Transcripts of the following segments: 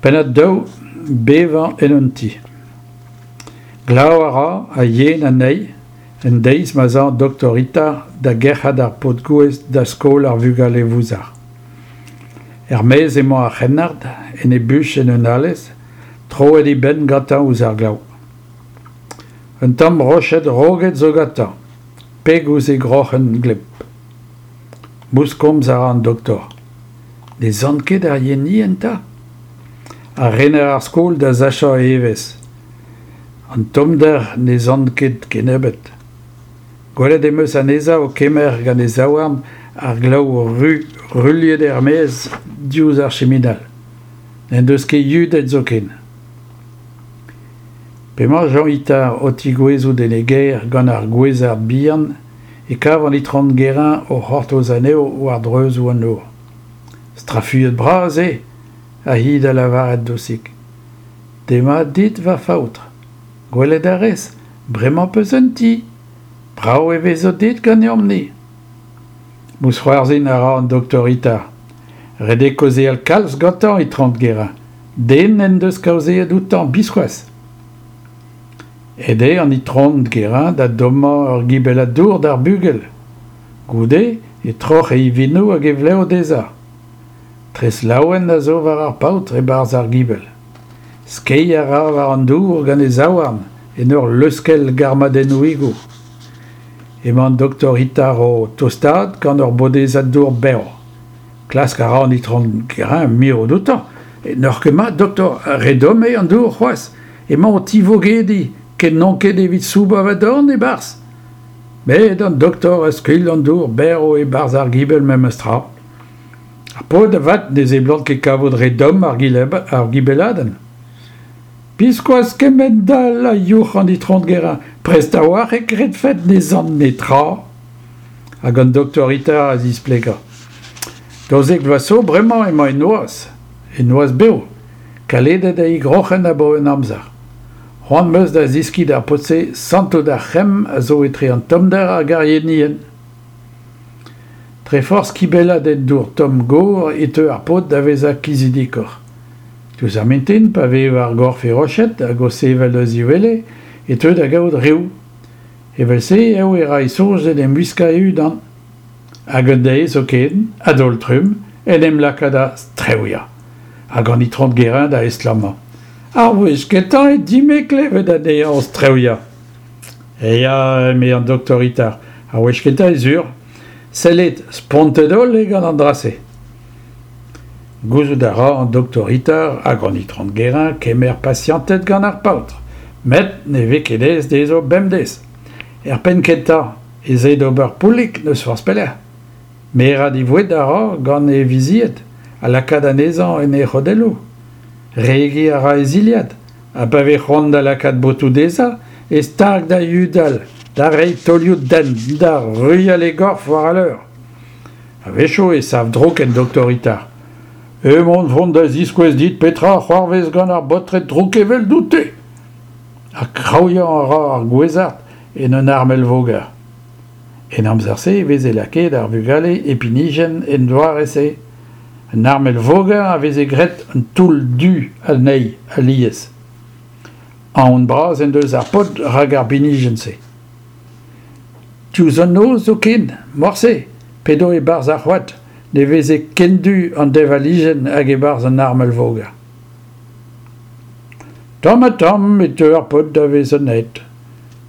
Pennad daou, Bevañ en un ti. Glav a ra ha yen anezhi en deiz ma'z a an doktor Itard da gerc'hat ar paotr gouez da skol ar vugale vouzar. Er-maez emañ ar c'hrennard, en e buch en un alez, troet e benn gantañ ouzh ar glav. Un tamm roched roget zo gantañ, peg ouzh e groc'hen gleb. Mouskomz a ra an doktor. Ne sant ket ar yenienn 'ta ? Ha rener ar skol da sachañ e evezh. An tommder ne sant ket kennebeut. Gwelet em eus anezhañ o kemer gant e zaouarn ar glav ru ruilhet er-maez diouzh ar chiminal. N'en deus ket yudet zoken. P'emañ Jean Itard o tigouezout en e gêr gant ar gouezard bihan e kav an itron Guérin o c'hortoz anezho war dreuzoù an nor. Strafuilhet-bras eo, ha hi da lavaret dousik. Demat dit, va faotr. Gwelet a rez, bremañ 'peus un ti. Brav e vezo dit ganeomp-ni. Mousc'hoarzhin a ra an doktor Itard. Ret eo kaozeal kalz gantañ, itron Guérin. Den n'en deus kaozeet outañ biskoazh. Aet eo an itron Guérin da dommañ ur gibellad dour d'ar bugel. Goude e troc'h e ivinoù hag e vlev dezhañ. Tres laouen a zo war ar paotr e-barzh ar gibell. Skeiñ a ra war an dour gant e zaouarn en ur leuskel garmadennoùigoù. Emañ an doktor Itard o tostaat gant ur bodezad dour bev. Klask a ra an itron Guérin mirout outañ. N'oc'h ket mat, doktor, re domm eo an dour c'hoazh. Emañ o tivogediñ, ken n'on ket evit soubañ va dorn e-barzh. Met an doktor a skuilh an dour berv e-barzh ar gibell memes tra. Ar paotr avat ne seblant ket kavout re domm ar gibelladenn. Biskoazh kemend-all a youc'h an itron Guérin, prest a-walc'h e kredfet ne sant netra. Hag an doktor Itard a zisplegañ. 12 vloaz zo bremañ emañ en noazh, en noazh bev, kaledet eo e groc'hen abaoe un amzer. C'hoant 'm eus da zeskiñ d'ar paotr-se santout ar c'hemm a zo etre an tommder hag ar yenienn. Dre forzh kibellat en dour tomm gor e teu ar paotr da vezañ kizidikoc'h. Diouzh ar mintin, pa vez war gorf e roched hag o sevel eus e wele, e teu da gaout riv. Evel-se eo e ra e soñj d'en em wiskañ e-unan. Hag un deiz zoken, a-daol-trumm, en em laka da strewiañ. Hag an itron Guérin da estlammañ. Ar wech kentañ eo din-me klevet anezhañ o strewiañ. Ya, eme an doktor Itard, ar wech kentañ eo sur. Sellit, spontet-holl eo gant an dra-se. Gouzout a ra an doktor Itard hag an itron Guérin kemer pasianted gant ar paotr, met ne vez ket aes dezho bemdez. Er penn-kentañ ez eo d'ober poullig n'eus forzh pelec'h. Merañ e voued a ra gant e vizied ha lakaat anezhañ en e c'hodelloù. Regiñ a ra e zilhad ha pa vez c'hoant da lakaat botoù dezhañ e stag da yudal, da reiñ taolioù dent, da ruilhal e gorf war al leur. A-wechoù e sav drouk en doktor Itard. Emaon 'vont da ziskouez dit petra a c'hoarvez gant ar baotred drouk eveldout-te. Ha kraouiañ a ra ar gouezard en un armel-voger. En amzer-se e veze lakaet ar vugale e pinijenn en doare-se. Un armel-voger a veze graet un toull du anezhi alies. Aon bras en deus ar paotr rak ar binijenn-se. Diouzh an noz zoken, morse, p'edo e-barzh ar c'hoad, ne veze ken du an deñvalijenn hag e-barzh an armel-voger. Tamm-ha-tamm e teu ar paotr da vezañ aet.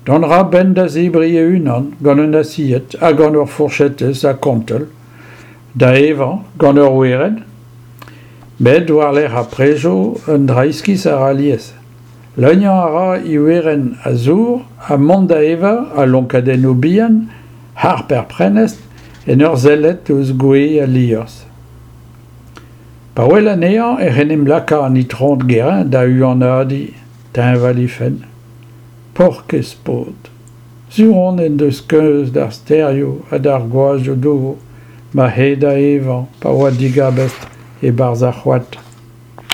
Dont a ra a-benn da zebriñ e-unan gant un asied ha gant ur fourchetez ha kontell, da evañ gant ur werenn. Met war-lerc'h ar prejoù un dra iskis a ra alies. Leuniañ a ra e werenn a zour ha mont da evañ a lonkadennoù bihan harp er prenestr en ur sellet ouzh gwez al liorzh. Pa wel anezhañ ec'h en em laka an itron Guérin da huanadiñ, teñval he fenn. Paourkaezh paotr! Sur on en deus keuz d'ar stêrioù ha d'ar gwazhioù-dour ma c'he da evañ pa oa digabestr e-barzh ar c'hoad.